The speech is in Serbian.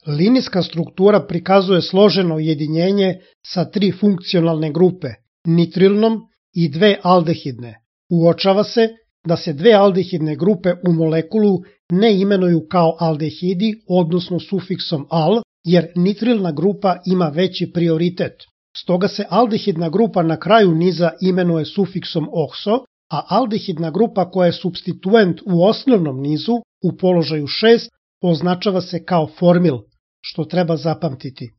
Linijska struktura prikazuje složeno ujedinjenje sa 3 funkcionalne grupe, nitrilnom i 2 aldehidne. Uočava se da se 2 aldehidne grupe u molekulu ne imenuju kao aldehidi, odnosno sufiksom al, jer nitrilna grupa ima veći prioritet. Stoga se aldehidna grupa na kraju niza imenuje sufiksom okso, a aldehidna grupa koja je supstituent u osnovnom nizu u položaju 6 označava se kao formil, što treba zapamtiti.